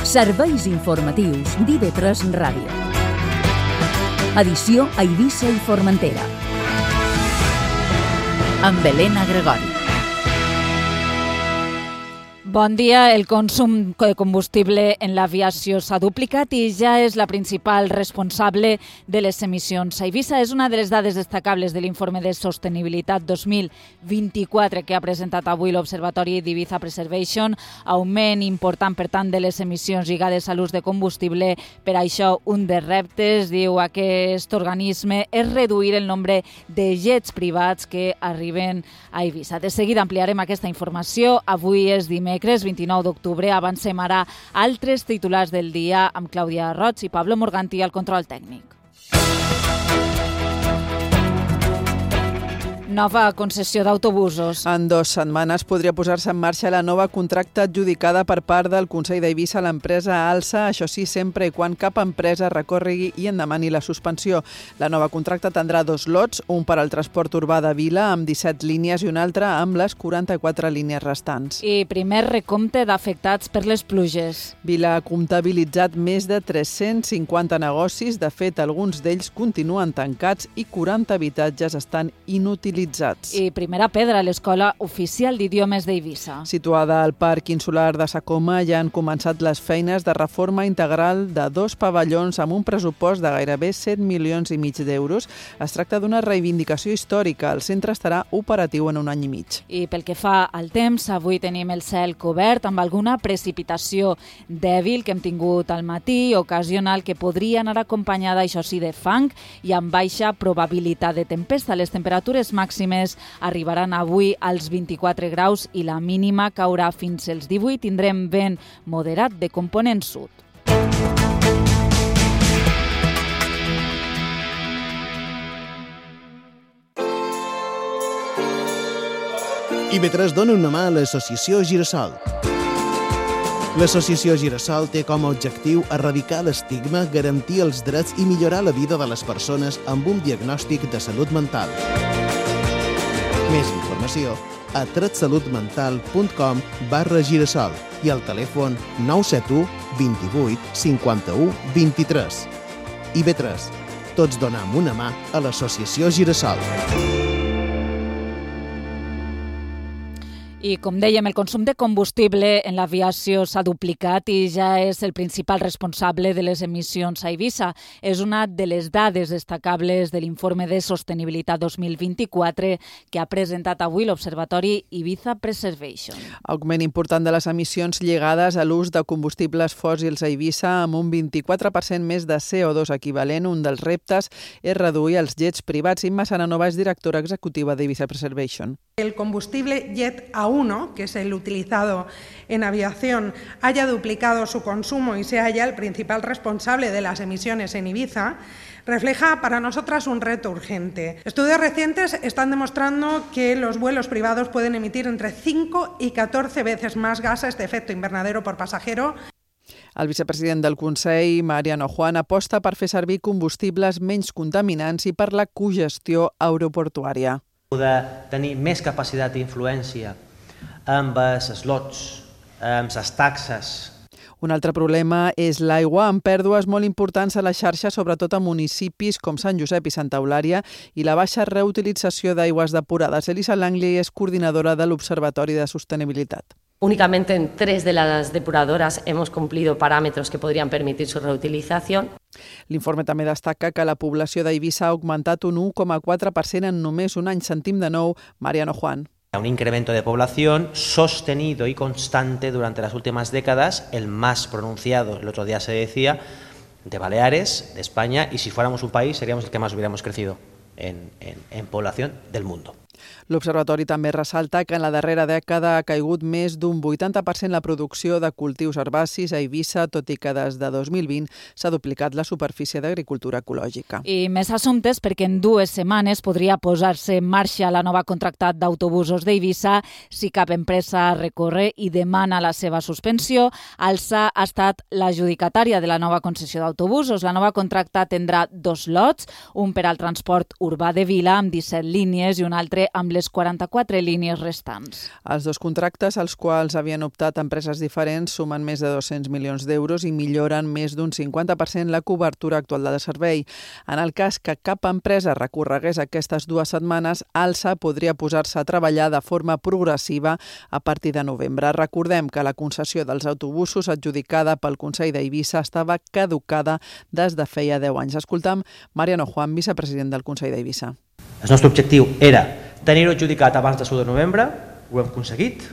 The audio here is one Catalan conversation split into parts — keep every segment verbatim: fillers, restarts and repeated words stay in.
Serveis informatius d'I V tres Ràdio. Edició a Eivissa i Formentera. Amb Helena Gregori. Bon dia. El consum de combustible en l'aviació s'ha duplicat i ja és la principal responsable de les emissions a Eivissa. És una de les dades destacables de l'informe de sostenibilitat dos mil vint-i-quatre que ha presentat avui l'Observatori d'Ibiza Preservation. Augment important, per tant, de les emissions lligades a l'ús de combustible. Per això, un dels reptes, diu aquest organisme, és reduir el nombre de jets privats que arriben a Eivissa. De seguida ampliarem aquesta informació. Avui és dimecres, vint-i-nou d'octubre. Avancem ara altres titulars del dia amb Clàudia Roig i Pablo Morganti al control tècnic. Nova concessió d'autobusos. En dues setmanes podria posar-se en marxa la nova contracta adjudicada per part del Consell d'Eivissa a l'empresa Alsa, això sí, sempre i quan cap empresa recorregui i en demani la suspensió. La nova contracta tindrà dos lots, un per al transport urbà de Vila amb disset línies i un altre amb les quaranta-quatre línies restants. I primer recompte d'afectats per les pluges. Vila ha comptabilitzat més de tres-cents cinquanta negocis, de fet alguns d'ells continuen tancats i quaranta habitatges estan inutilitzats. I primera pedra a l'Escola Oficial d'Idiomes d'Eivissa. Situada al Parc Insular de Sa Coma, ja han començat les feines de reforma integral de dos pavellons amb un pressupost de gairebé set milions i mig d'euros. Es tracta d'una reivindicació històrica. El centre estarà operatiu en un any i mig. I pel que fa al temps, avui tenim el cel cobert amb alguna precipitació dèbil que hem tingut al matí, ocasional, que podria anar acompanyada, això sí, de fang i amb baixa probabilitat de tempesta. Les temperatures màximes màximes arribaran avui als vint-i-quatre graus i la mínima caurà fins als divuit. Tindrem vent moderat de component sud. I V tres dona una mà a l'associació Girassol. L'associació Girassol té com a objectiu erradicar l'estigma, garantir els drets i millorar la vida de les persones amb un diagnòstic de salut mental. Més informació a tretsalutmental.com barra girassol i al telèfon nou set u, vint-i-vuit, cinquanta-u, vint-i-tres. I V tres. Tots donem una mà a l'associació Girassol. I, com dèiem, el consum de combustible en l'aviació s'ha duplicat i ja és el principal responsable de les emissions a Eivissa. És una de les dades destacables de l'informe de sostenibilitat dos mil vint-i-quatre que ha presentat avui l'Observatori Ibiza Preservation. Augment important de les emissions lligades a l'ús de combustibles fòssils a Eivissa amb un vint-i-quatre per cent més de C O dos equivalent. Un dels reptes és reduir els jets privats. Imma Saranova és directora executiva d'Ibiza Preservation. El combustible Jet A uno, que es el utilizado en aviación, haya duplicado su consumo y sea ya el principal responsable de las emisiones en Ibiza, refleja para nosotras un reto urgente. Estudios recientes están demostrando que los vuelos privados pueden emitir entre cinco y catorce veces más gases de efecto invernadero por pasajero. El vicepresident del Consell, Mariano Juan, aposta per fer servir combustibles menys contaminants i per la cogestió aeroportuària. De tenir més capacitat d'influència amb els slots, amb les taxes. Un altre problema és l'aigua, amb pèrdues molt importants a la xarxa, sobretot a municipis com Sant Josep i Santa Eulària, i la baixa reutilització d'aigües depurades. Elisa Langley és coordinadora de l'Observatori de Sostenibilitat. Únicamente en tres de las depuradoras hemos cumplido parámetros que podrían permitir su reutilización. L'informe també destaca que la població d'Eivissa ha augmentat un u coma quatre per cent en només un any. Sentim de nou Mariano Juan. Un incremento de población sostenido y constante durante las últimas décadas, el más pronunciado, el otro día se decía, de Baleares, de España, y si fuéramos un país seríamos el que más hubiéramos crecido en, en, en población del mundo. L'Observatori també ressalta que en la darrera dècada ha caigut més d'un vuitanta per cent la producció de cultius herbacis a Eivissa, tot i que des de dos mil vint s'ha duplicat la superfície d'agricultura ecològica. I més assumptes perquè en dues setmanes podria posar-se en marxa la nova contractat d'autobusos d'Eivissa si cap empresa recorre i demana la seva suspensió. Alsa ha estat l'adjudicatària de la nova concessió d'autobusos. La nova contracta tindrà dos lots, un per al transport urbà de Vila amb disset línies i un altre amb les quaranta-quatre línies restants. Els dos contractes, als quals havien optat empreses diferents, sumen més de dos-cents milions d'euros i milloren més d'un cinquanta per cent la cobertura actual del servei. En el cas que cap empresa recorregués aquestes dues setmanes, ALSA podria posar-se a treballar de forma progressiva a partir de novembre. Recordem que la concessió dels autobusos adjudicada pel Consell d'Eivissa estava caducada des de feia deu anys. Escoltam Mariano Juan, vicepresident del Consell d'Eivissa. El nostre objectiu era tenir-ho adjudicat abans de l'u de novembre, ho hem aconseguit,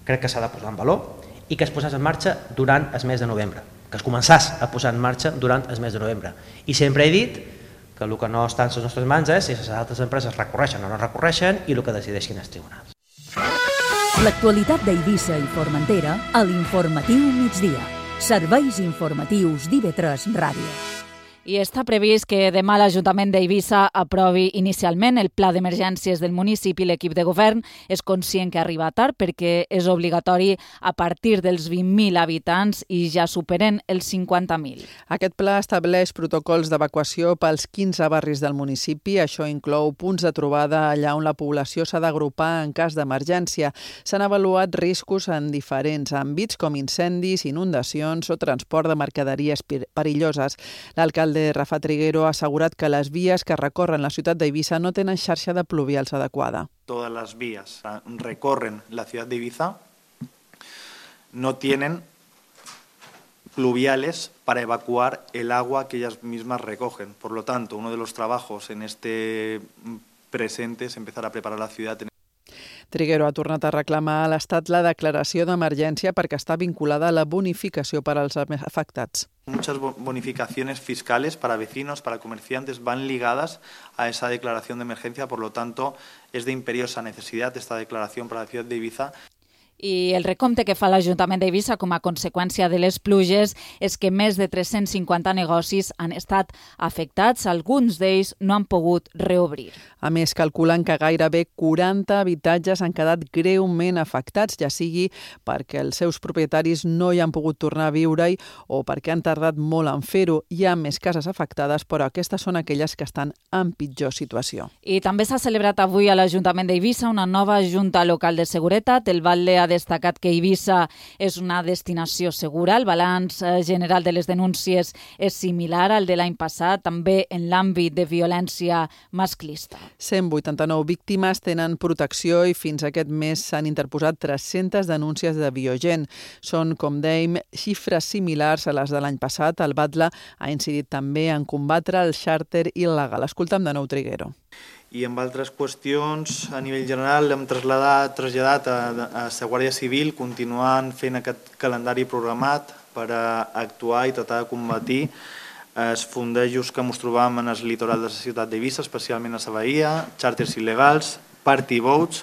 crec que s'ha de posar en valor, i que es posés en marxa durant el mes de novembre, que es començàs a posar en marxa durant el mes de novembre. I sempre he dit que el que no està en les nostres mans és si les altres empreses recorreixen o no recorreixen i el que decideixin els tribunals. L'actualitat d'Eivissa i Formentera a l'Informatiu Migdia. Serveis informatius d'I V tres Ràdio. I està previst que demà l'Ajuntament d'Eivissa aprovi inicialment el pla d'emergències del municipi. L'equip de govern és conscient que arriba tard perquè és obligatori a partir dels vint mil habitants i ja superen els cinquanta mil. Aquest pla estableix protocols d'evacuació pels quinze barris del municipi. Això inclou punts de trobada allà on la població s'ha d'agrupar en cas d'emergència. S'han avaluat riscos en diferents àmbits com incendis, inundacions o transport de mercaderies perilloses. L'alcalde de Rafa Triguero ha assegurat que les vies que recorren la ciutat d'Eivissa no tenen xarxa de pluvials adequada. Todas las vías recorren la ciudad de Ibiza, no tienen pluviales para evacuar el agua que ellas mismas recogen. Por lo tanto, uno de los trabajos en este presente es empezar a preparar la ciudad. Triguero ha tornat a reclamar a l'Estat la declaració d'emergència perquè està vinculada a la bonificació per als afectats. Muchas bonificaciones fiscales para vecinos, para comerciantes, van ligadas a esa declaración de emergencia, por lo tanto, es de imperiosa necesidad esta declaración para la ciudad de Ibiza. I el recompte que fa l'Ajuntament d'Eivissa com a conseqüència de les pluges és que més de tres-cents cinquanta negocis han estat afectats. Alguns d'ells no han pogut reobrir. A més, calculen que gairebé quaranta habitatges han quedat greument afectats, ja sigui perquè els seus propietaris no hi han pogut tornar a viure-hi o perquè han tardat molt en fer-ho. Hi ha més cases afectades, però aquestes són aquelles que estan en pitjor situació. I també s'ha celebrat avui a l'Ajuntament d'Eivissa una nova Junta Local de Seguretat. El batlle ha destacat que Eivissa és una destinació segura. El balanç general de les denúncies és similar al de l'any passat, també en l'àmbit de violència masclista. cent vuitanta-nou víctimes tenen protecció i fins aquest mes s'han interposat tres-centes denúncies de Biogen. Són, com dèiem, xifres similars a les de l'any passat. El batlle ha incidit també en combatre el xàrter il·legal. Escoltem de nou Triguero. I amb altres qüestions, a nivell general, hem traslladat, traslladat a, a la Guàrdia Civil, continuant fent aquest calendari programat per a actuar i tratar de combatir els fondejos que ens trobam en el litoral de la ciutat d'Eivissa, especialment a la Bahia, xàrters il·legals, party boats.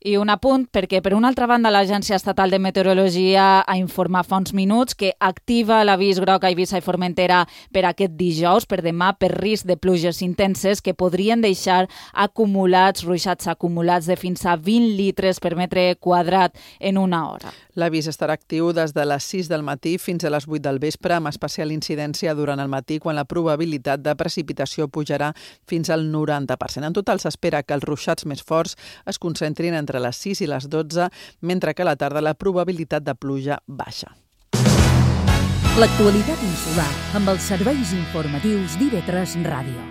I un apunt, perquè per una altra banda l'Agència Estatal de Meteorologia ha informat fa uns minuts que activa l'avís groc a Eivissa i Formentera per aquest dijous, per demà, per risc de pluges intenses que podrien deixar acumulats, ruixats acumulats de fins a vint litres per metre quadrat en una hora. L'avís estarà actiu des de les sis del matí fins a les vuit del vespre, amb especial incidència durant el matí, quan la probabilitat de precipitació pujarà fins al noranta per cent. En total s'espera que els ruixats més forts es concentrin entre les sis i les dotze, mentre que a la tarda la probabilitat de pluja baixa. L'actualitat insular amb els serveis informatius d'I V tres Ràdio.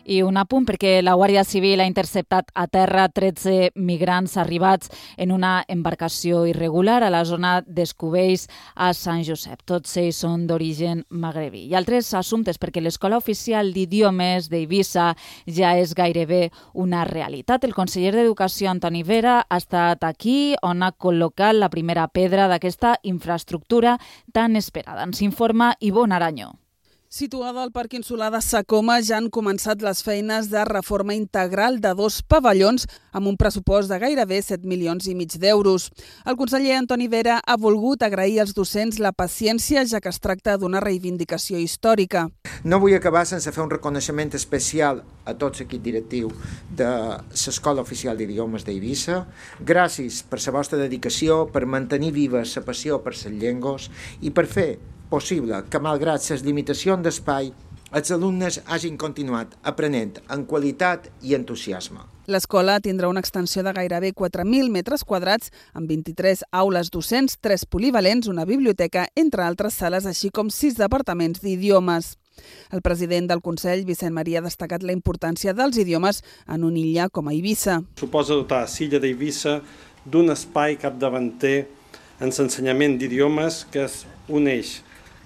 I un apunt perquè la Guàrdia Civil ha interceptat a terra tretze migrants arribats en una embarcació irregular a la zona d'Escubells a Sant Josep. Tots ells són d'origen magrebí. I altres assumptes perquè l'Escola Oficial d'Idiomes d'Eivissa ja és gairebé una realitat. El conseller d'Educació, Antoni Vera, ha estat aquí on ha col·locat la primera pedra d'aquesta infraestructura tan esperada. Ens informa Ivonne Arañó. Situada al Parc Insular de Sa Coma, ja han començat les feines de reforma integral de dos pavellons amb un pressupost de gairebé set milions i mig d'euros. El conseller Antoni Vera ha volgut agrair als docents la paciència, ja que es tracta d'una reivindicació històrica. No vull acabar sense fer un reconeixement especial a tot l'equip directiu de l'Escola Oficial d'Idiomes d'Eivissa. Gràcies per la vostra dedicació, per mantenir viva la passió per les llengües i per fer possible que, malgrat les limitacions d'espai, els alumnes hagin continuat aprenent amb qualitat i entusiasme. L'escola tindrà una extensió de gairebé quatre mil metres quadrats, amb vint-i-tres aules docents, tres polivalents, una biblioteca, entre altres sales, així com sis departaments d'idiomes. El president del Consell, Vicent Maria, ha destacat la importància dels idiomes en una illa com a Eivissa. Suposa dotar l'illa d'Eivissa d'un espai capdavanter en l'ensenyament d'idiomes que és un eix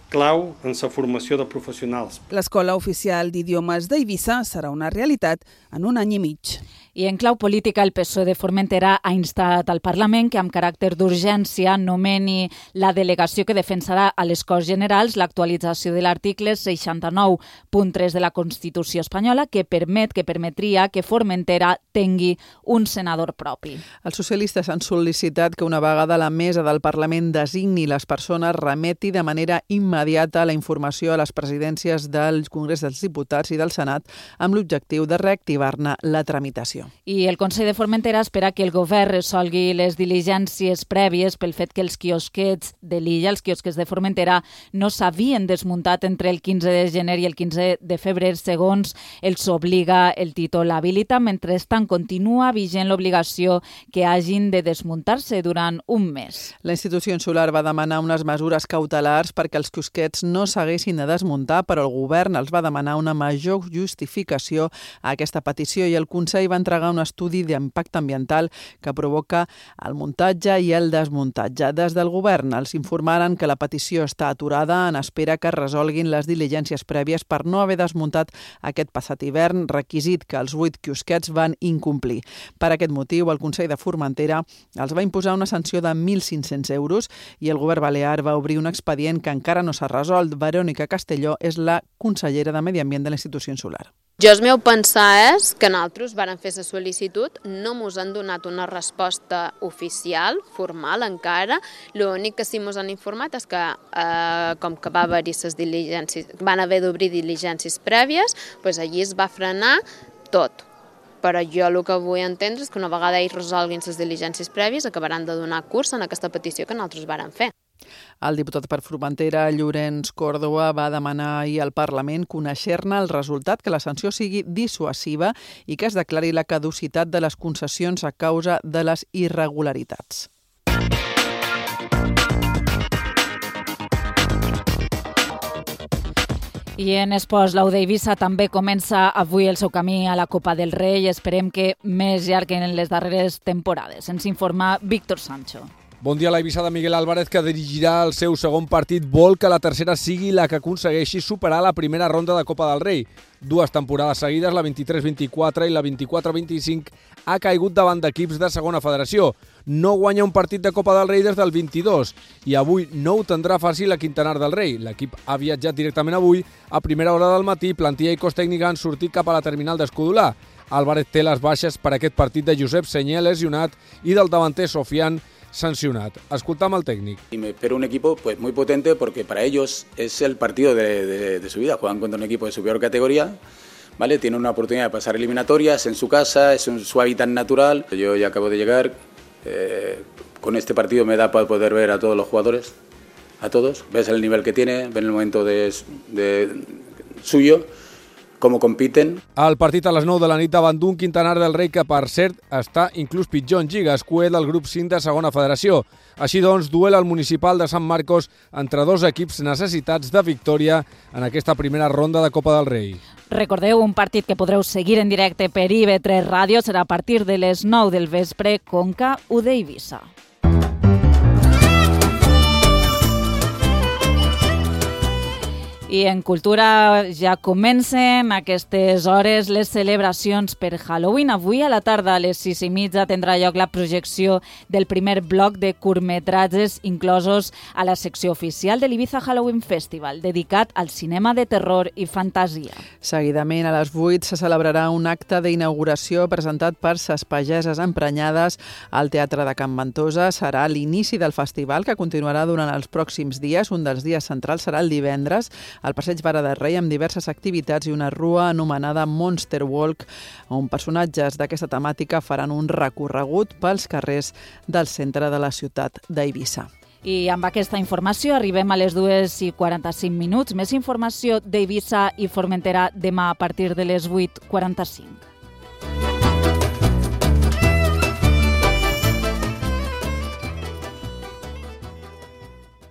clau en la formació de professionals. L'Escola Oficial d'Idiomes d'Eivissa serà una realitat en un any i mig. I en clau política, el P S O E de Formentera ha instat al Parlament que amb caràcter d'urgència nomeni la delegació que defensarà a les Corts Generals l'actualització de l'article seixanta-nou punt tres de la Constitució espanyola que permet que permetria que Formentera tingui un senador propi. Els socialistes han sol·licitat que una vegada la mesa del Parlament designi les persones, remeti de manera immediata la informació a les presidències del Congrés dels Diputats i del Senat amb l'objectiu de reactivar-ne la tramitació. I el Consell de Formentera espera que el govern resolgui les diligències prèvies pel fet que els quiosquets de l'illa, els quiosquets de Formentera, no s'havien desmuntat entre el quinze de gener i el quinze de febrer, segons els obliga el títol habilita. Mentrestant, continua vigent l'obligació que hagin de desmuntar-se durant un mes. La institució insular va demanar unes mesures cautelars perquè els quiosquets no s'haguessin de desmuntar, però el govern els va demanar una major justificació a aquesta petició i el Consell va entregar un estudi d'impacte ambiental que provoca el muntatge i el desmuntatge. Des del govern els informaren que la petició està aturada en espera que es resolguin les diligències prèvies per no haver desmuntat aquest passat hivern, requisit que els vuit quiosquets van incomplir. Per aquest motiu, el Consell de Formentera els va imposar una sanció de mil cinc-cents euros i el govern balear va obrir un expedient que encara no s'ha resolt. Verònica Castelló és la consellera de Medi Ambient de la institució insular. Jo el meu pensar és que nosaltres vàrem fer la sol·licitud, no ens han donat una resposta oficial, formal encara, l'únic que sí ens han informat és que eh, com que va haver-hi les diligències, van haver d'obrir diligències prèvies, doncs allí es va frenar tot. Però jo el que vull entendre és que una vegada ells resolguin les diligències prèvies acabaran de donar curs en aquesta petició que nosaltres vàrem fer. El diputat per Formentera, Llorenç Córdoba, va demanar ahir al Parlament conèixer-ne el resultat, que la sanció sigui dissuasiva i que es declari la caducitat de les concessions a causa de les irregularitats. I en esports, l'U d'Eivissa també comença avui el seu camí a la Copa del Rei i esperem que més llarg que en les darreres temporades. Ens informa Víctor Sancho. Bon dia a l'Eivissa de Miguel Álvarez, que dirigirà el seu segon partit. Vol que la tercera sigui la que aconsegueixi superar la primera ronda de Copa del Rei. Dues temporades seguides, la vint-i-tres vint-i-quatre i la vint-i-quatre vint-i-cinc, ha caigut davant d'equips de segona federació. No guanya un partit de Copa del Rei des del vint-i-dos i avui no ho tindrà fàcil a Quintanar del Rei. L'equip ha viatjat directament avui a primera hora del matí. Plantilla i cos tècnica han sortit cap a la terminal d'Escudolà. Álvarez té les baixes per aquest partit de Josep Senyé, lesionat, i del davanter Sofian, sancionat. Escoltam al técnico. Y me espero un equipo pues muy potente porque para ellos es el partido de, de, de su vida. Juegan contra un equipo de superior categoría, ¿vale? Tienen una oportunidad de pasar eliminatorias en su casa, es un, su hábitat natural. Yo ya acabo de llegar, eh, con este partido me da para poder ver a todos los jugadores, a todos. Ves el nivel que tiene, ves el momento de, de suyo, com compiten. El partit a les nou de la nit davant d'un Quintanar del Rei que, per cert, està inclús pitjor en Lliga, escuet del grup cinc de segona federació. Així doncs, duel al municipal de Sant Marcos entre dos equips necessitats de victòria en aquesta primera ronda de Copa del Rei. Recordeu, un partit que podreu seguir en directe per I V tres Ràdio serà a partir de les nou del vespre, Conca U d'Eivissa. I en cultura ja comencen aquestes hores les celebracions per Halloween. Avui a la tarda a les sis i mitja tindrà lloc la projecció del primer bloc de curtmetratges inclosos a la secció oficial de l'Ibiza Halloween Festival, dedicat al cinema de terror i fantasia. Seguidament, a les vuit, se celebrarà un acte d'inauguració presentat per ses pageses emprenyades al Teatre de Can Ventosa. Serà l'inici del festival, que continuarà durant els pròxims dies. Un dels dies centrals serà el divendres, al Passeig Vara de Rei, amb diverses activitats i una rua anomenada Monster Walk, on personatges d'aquesta temàtica faran un recorregut pels carrers del centre de la ciutat d'Eivissa. I amb aquesta informació arribem a les dues i quaranta-cinc minuts. Més informació d'Eivissa i Formentera demà a partir de les vuit i quaranta-cinc.